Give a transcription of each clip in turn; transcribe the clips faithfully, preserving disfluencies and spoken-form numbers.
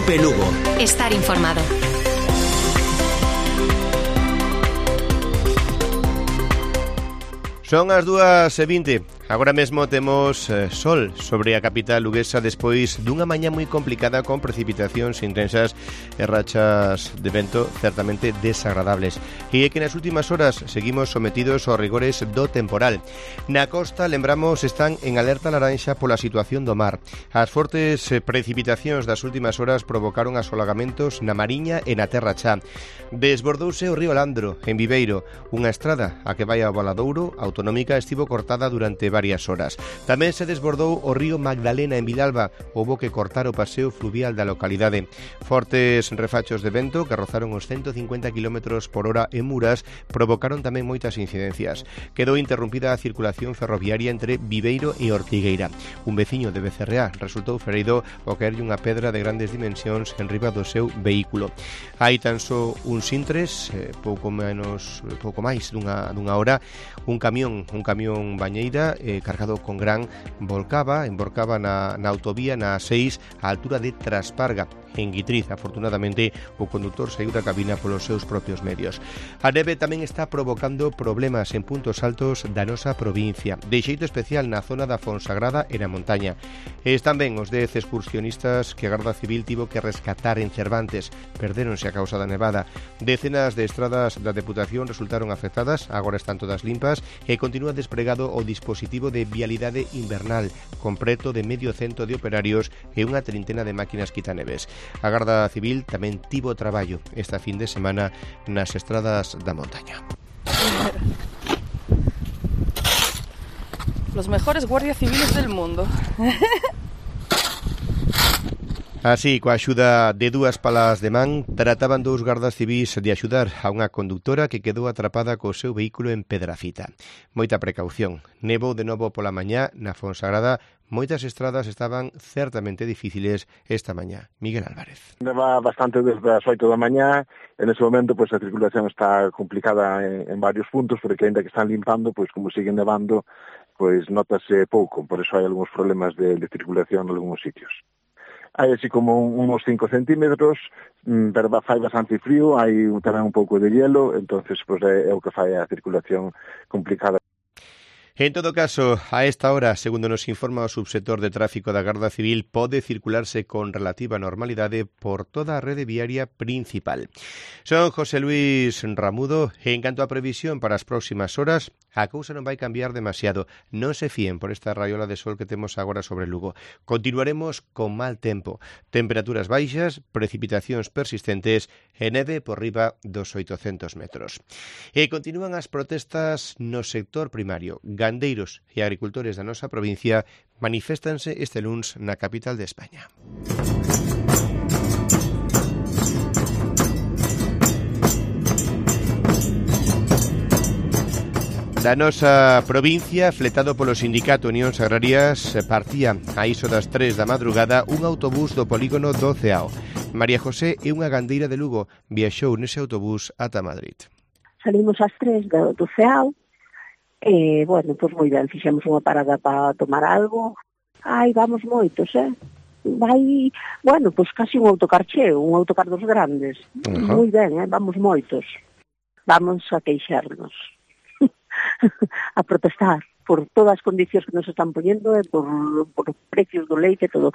Cope Lugo. Estar informado. Son as dúas e vinte. Agora mesmo temos eh, sol sobre a capital luguesa despois dunha mañá moi complicada con precipitacións intensas e rachas de vento certamente desagradables. E é que nas últimas horas seguimos sometidos aos rigores do temporal. Na costa, lembramos, están en alerta laranxa pola situación do mar. As fortes eh, precipitacións das últimas horas provocaron asolagamentos na Mariña e na Terra Chá. Desbordouse o río Landro, en Viveiro. Unha estrada a que vai ao Valadouro autonómica estivo cortada durante varias horas. Tamén se desbordou o río Magdalena en Vilalba. Houbo que cortar o paseo fluvial da localidade. Fortes refachos de vento que rozaron os ciento cincuenta kilómetros por hora en Muras provocaron tamén moitas incidencias. Quedou interrumpida a circulación ferroviaria entre Viveiro e Ortigueira. Un veciño de Becerreá resultou ferido ao caerlle unha pedra de grandes dimensións en riba do seu vehículo. Hai tan só uns intres, eh, pouco menos, pouco máis dunha, dunha hora, un camión, un camión bañeira eh, cargado con gran volcaba, emborcaba na, na autovía na A seis á altura de Trasparga, en Guitriz. Afortunadamente, o conductor saiu da cabina polos seus propios medios. A neve tamén está provocando problemas en puntos altos da nosa provincia, de xeito especial na zona da Fonsagrada e na montaña. Están ben os dez excursionistas que a Garda Civil tivo que rescatar en Cervantes. Perdéronse a causa da nevada. Decenas de estradas da Deputación resultaron afectadas, agora están todas limpas e continúa despregado o dispositivo de vialidade invernal, con preto de medio cento de operarios e unha trintena de máquinas quitaneves. A Garda Civil tamén tivo traballo esta fin de semana nas estradas da montaña. Los mejores guardias civiles del mundo. Así, coa axuda de dúas palas de man, trataban dous gardas civís de axudar a unha conductora que quedou atrapada co seu vehículo en Pedrafita. Moita precaución. Nevou de novo pola mañá na Fonsagrada. Moitas estradas estaban certamente difíciles esta mañá. Miguel Álvarez. Neva bastante desde as oito da mañá. En ese momento, pues, a circulación está complicada en, en varios puntos, porque ainda que están limpando, pues, como siguen nevando, pues, notase pouco. Por eso hai algúns problemas de, de circulación en algúns sitios. Hai así como unos cinco centímetros, pero fai bastante frío, hai tamén un pouco de hielo, entonces pues, é, é o que fai a circulación complicada. En todo caso, a esta hora, segundo nos informa o subsector de tráfico da Garda Civil, pode circularse con relativa normalidade por toda a rede viaria principal. Son José Luis Ramudo, e en canto a previsión para as próximas horas, a cousa non vai cambiar demasiado. Non se fíen por esta raiola de sol que temos agora sobre Lugo. Continuaremos con mal tempo, temperaturas baixas, precipitacións persistentes e neve por riba dos oitocentos metros. E continúan as protestas no sector primario. Gandeiros e agricultores da nosa provincia maniféstanse este luns na capital de España. Da nosa provincia, fletado polo sindicato Unións Agrarias, partía a iso das tres da madrugada un autobús do polígono do Ceao. María José é unha gandeira de Lugo, viaxou nese autobús ata Madrid. Salimos ás tres do, do Ceao. E, bueno, pois moi ben, fixemos unha parada para tomar algo. Ai, vamos moitos, eh? Vai, bueno, pois casi un autocar cheo, un autocar dos grandes. Uh-huh. Moi ben, eh? Vamos moitos. Vamos a queixarnos. A protestar por todas as condicións que nos están poñendo e por, por precios do leite e todo.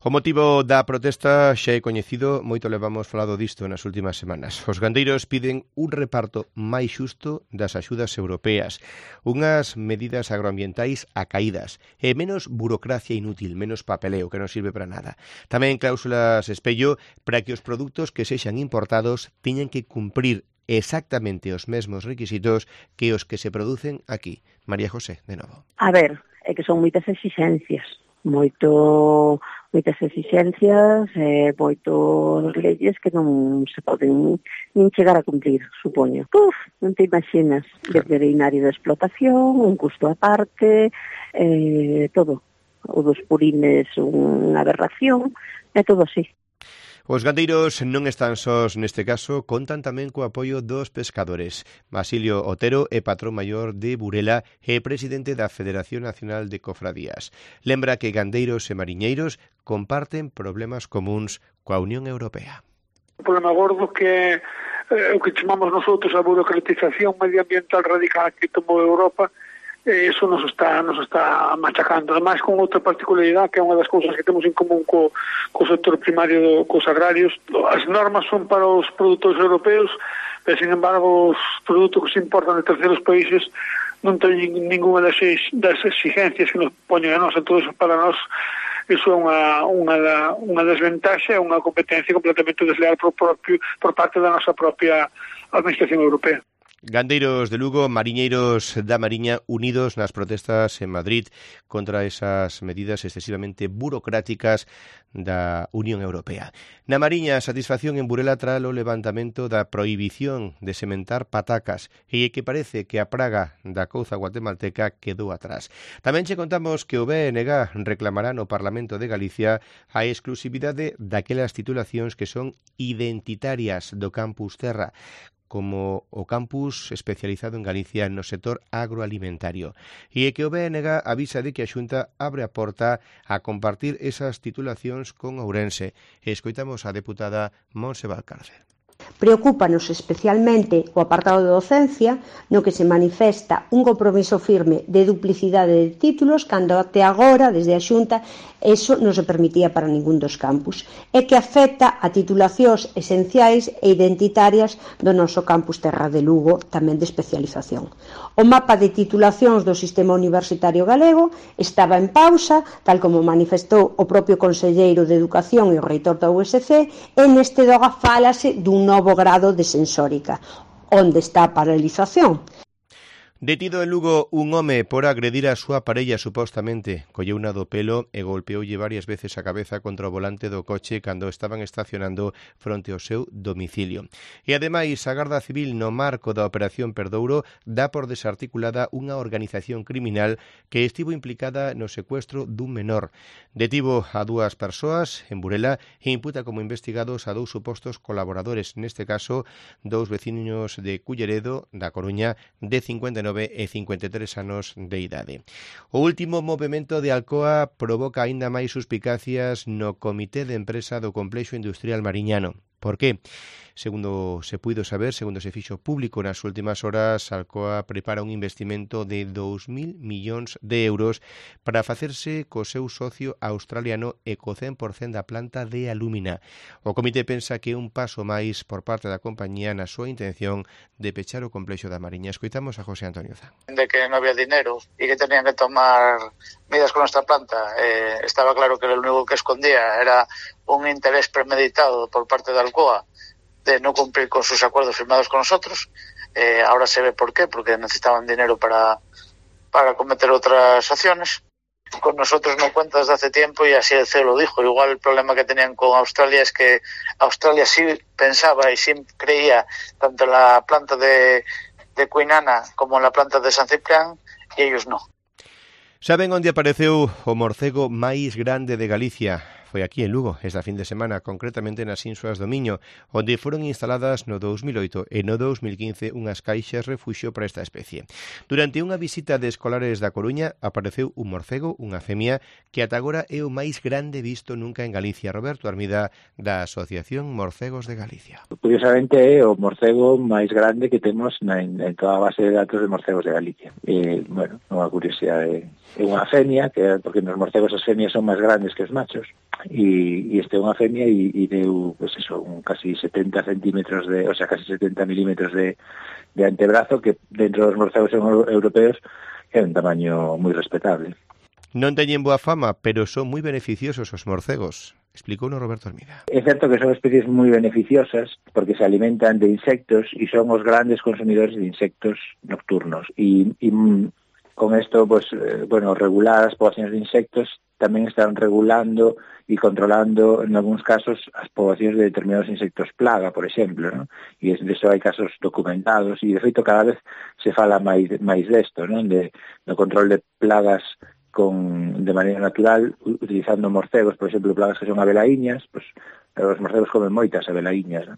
O motivo da protesta xa é coñecido, moito levamos falado disto nas últimas semanas. Os gandeiros piden un reparto máis xusto das axudas europeas, unhas medidas agroambientais acaídas e menos burocracia inútil, menos papeleo que non sirve para nada. Tamén cláusulas espello para que os produtos que sexan importados teñan que cumprir exactamente os mesmos requisitos que os que se producen aquí. María José, de novo. A ver, é que son moitas exigencias. moito moitas exigencias e moitos leyes que non se poden nin chegar a cumplir, supoño. Uf, non te imaginas, veterinario de explotación, un custo aparte, eh, todo. O dos purines unha aberración, é todo así. Os gandeiros non están sós neste caso, contan tamén co apoio dos pescadores. Basilio Otero é patrón maior de Burela e presidente da Federación Nacional de Cofradías. Lembra que gandeiros e mariñeiros comparten problemas comuns coa Unión Europea. O problema gordo que é o que chamamos nosotros a burocratización medioambiental radical que tomou Europa. Eso nos está nos está machacando. Ademais, con outra particularidade, que é unha das cousas que temos en común co, co sector primario, do, cos agrarios, as normas son para os produtores europeus, pero, sin embargo, os produtos que se importan de terceiros países non teñen ninguna das, das exigencias que nos poñen a nós. Entón, para nós, iso é unha, unha, da, unha desventaxa, unha competencia completamente desleal por, propio, por parte da nosa propia administración europea. Gandeiros de Lugo, mariñeiros da Mariña unidos nas protestas en Madrid contra esas medidas excesivamente burocráticas da Unión Europea. Na Mariña, satisfacción en Burela tras o levantamento da prohibición de sementar patacas e que parece que a praga da couza guatemalteca quedou atrás. Tamén che contamos que o B N G reclamará no Parlamento de Galicia a exclusividade daquelas titulacións que son identitarias do Campus Terra, como o campus especializado en Galicia no sector agroalimentario. E é que o B N G avisa de que a Xunta abre a porta a compartir esas titulacións con Ourense. E escoitamos a deputada Montse Valcárcel. Preocúpanos especialmente o apartado de docencia, no que se manifesta un compromiso firme de duplicidade de títulos, cando até agora, desde a Xunta, eso non se permitía para ningún dos campus, e que afecta a titulacións esenciais e identitarias do noso campus Terra de Lugo, tamén de especialización. O mapa de titulacións do sistema universitario galego estaba en pausa, tal como manifestou o propio conselleiro de Educación e o reitor da U S C, e neste doga fálase dun novo grado de sensórica. Onde está a paralización? Detido en Lugo un home por agredir a súa parella supostamente. Colleuna do pelo e golpeoulle varias veces a cabeza contra o volante do coche cando estaban estacionando fronte ao seu domicilio. E ademais, a Garda Civil no marco da Operación Perdouro dá por desarticulada unha organización criminal que estivo implicada no secuestro dun menor. Detivo a dúas persoas en Burela e imputa como investigados a dous supostos colaboradores, neste caso dous veciños de Culleredo, da Coruña, de cincuenta e nove e cincuenta e tres anos de idade. O último movimento de Alcoa provoca aínda máis suspicacias no Comité de Empresa do Complexo Industrial Mariñano. Por qué? Segundo se puido saber, segundo se fixo público nas últimas horas, Alcoa prepara un investimento de dous mil millóns de euros para facerse co seu socio australiano e co cen por cento da planta de alúmina. O comité pensa que é un paso máis por parte da compañía na súa intención de pechar o complexo da Mariña. Escoitamos a José Antonio Zan. De que non había dinero e que tenían que tomar medidas con nuestra planta. Eh, estaba claro que lo único que escondía era un interés premeditado por parte de Alcoa de no cumplir con sus acuerdos firmados con nosotros. Eh, ahora se ve por qué, porque necesitaban dinero para, para cometer otras acciones. Con nosotros no cuentas desde hace tiempo y así el C E O lo dijo. Igual el problema que tenían con Australia es que Australia sí pensaba y sí creía tanto en la planta de, de Cuinana como en la planta de San Ciprián y ellos no. Saben onde apareceu o morcego máis grande de Galicia? Foi aquí en Lugo, esta fin de semana, concretamente nas Insuas do Miño, onde foron instaladas no dous mil oito e no dous mil quince unhas caixas refuxio para esta especie. Durante unha visita de escolares da Coruña apareceu un morcego, unha femia, que ata agora é o máis grande visto nunca en Galicia. Roberto Armida, da Asociación Morcegos de Galicia. Curiosamente é o morcego máis grande que temos na, en, en toda a base de datos de morcegos de Galicia. E, bueno, unha curiosidade, é unha femia, que porque nos morcegos as femias son máis grandes que os machos, e, e este é unha femia e, e deu, pues eso, un casi setenta centímetros de, o sea, casi setenta milímetros de, de antebrazo, que dentro dos morcegos europeos é un tamaño moi respetable. Non teñen boa fama, pero son moi beneficiosos os morcegos, explicou no Roberto Armida. É certo que son especies moi beneficiosas porque se alimentan de insectos e son os grandes consumidores de insectos nocturnos. E, e con isto, pues, eh, bueno, regular as poblacións de insectos tamén están regulando e controlando, en algúns casos, as poboacións de determinados insectos plaga, por exemplo, ¿no? E de eso hai casos documentados, e de feito cada vez se fala máis, máis desto, ¿no? De, do control de plagas con, de maneira natural, utilizando morcegos, por exemplo, plagas que son abelaiñas, pues, os morcegos comen moitas abelaiñas, ¿no?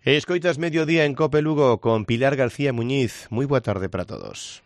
Escoitas Mediodía en Cope Lugo con Pilar García Muñiz. Moi boa tarde para todos.